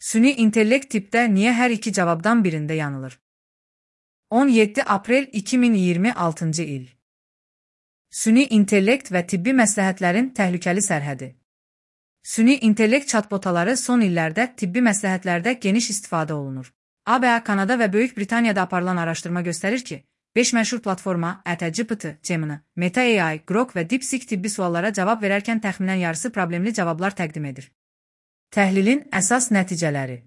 Süni intellekt tipdə niyə hər iki cavabdan birində yanılır? 17 aprel 2026-cı il. Süni intellekt və tibbi məsləhətlərin təhlükəli sərhədi. Süni intellekt chatbotaları son illərdə tibbi məsləhətlərdə geniş istifadə olunur. ABA, Kanada və Böyük Britaniyada aparılan araşdırma göstərir ki, 5 məşhur platforma ChatGPT, Gemini, Meta AI, Grok və DeepSeek tibbi suallara cavab verərkən təxminən yarısı problemli cavablar təqdim edir. Təhlilin əsas nəticələri.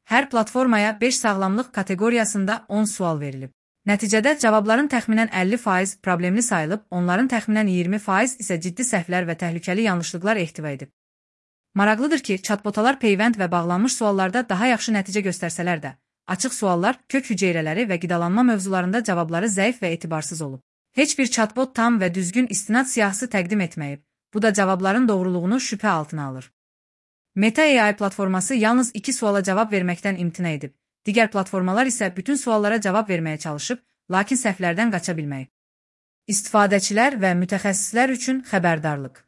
Hər platformaya 5 sağlamlıq kateqoriyasında 10 sual verilib. Nəticədə cavabların təxminən 50% problemli sayılıb, onların təxminən 20% isə ciddi səhvlər və təhlükəli yanlışlıqlar ehtiva edib. Maraqlıdır ki, chatbotalar peyvənd və bağlanmış suallarda daha yaxşı nəticə göstərsələr də, açıq suallar, kök hüceyrələri və qidalanma mövzularında cavabları zəif və etibarsız olub. Heç bir chatbot tam və düzgün istinad siyahısı təqdim etməyib, bu da cavabların doğruluğunu şübhə altına alır. Meta AI platforması yalnız 2 suala cavab verməkdən imtina edib, digər platformalar isə bütün suallara cavab verməyə çalışıb, lakin səhvlərdən qaça bilməyib. İstifadəçilər və mütəxəssislər üçün xəbərdarlıq.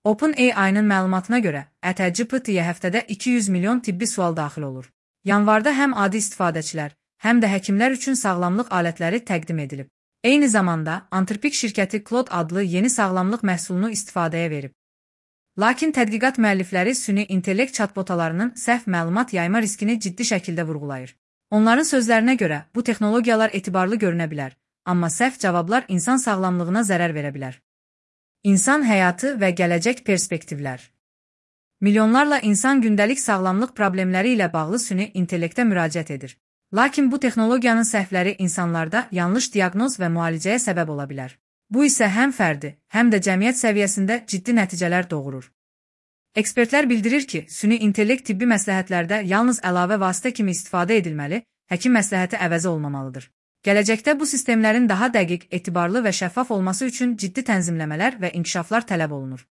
OpenAI-nın məlumatına görə, ChatGPT-yə həftədə 200 milyon tibbi sual daxil olur. Yanvarda həm adi istifadəçilər, həm də həkimlər üçün sağlamlıq alətləri təqdim edilib. Eyni zamanda, Anthropic şirkəti Claude adlı yeni sağlamlıq məhsulunu istifadəyə verib. Lakin tədqiqat müəllifləri süni intellekt chatbotalarının səhv məlumat yayma riskini ciddi şəkildə vurğulayır. Onların sözlərinə görə, bu texnologiyalar etibarlı görünə bilər, amma səhv cavablar insan sağlamlığına zərər verə bilər. İnsan həyatı və gələcək perspektivlər. Milyonlarla insan gündəlik sağlamlıq problemləri ilə bağlı süni intellektə müraciət edir. Lakin bu texnologiyanın səhvləri insanlarda yanlış diaqnoz və müalicəyə səbəb ola bilər. Bu isə həm fərdi, həm də cəmiyyət səviyyəsində ciddi nəticələr doğurur. Ekspertlər bildirir ki, süni intellekt tibbi məsləhətlərdə yalnız əlavə vasitə kimi istifadə edilməli, həkim məsləhəti əvəzi olmamalıdır. Gələcəkdə bu sistemlərin daha dəqiq, etibarlı və şəffaf olması üçün ciddi tənzimləmələr və inkişaflar tələb olunur.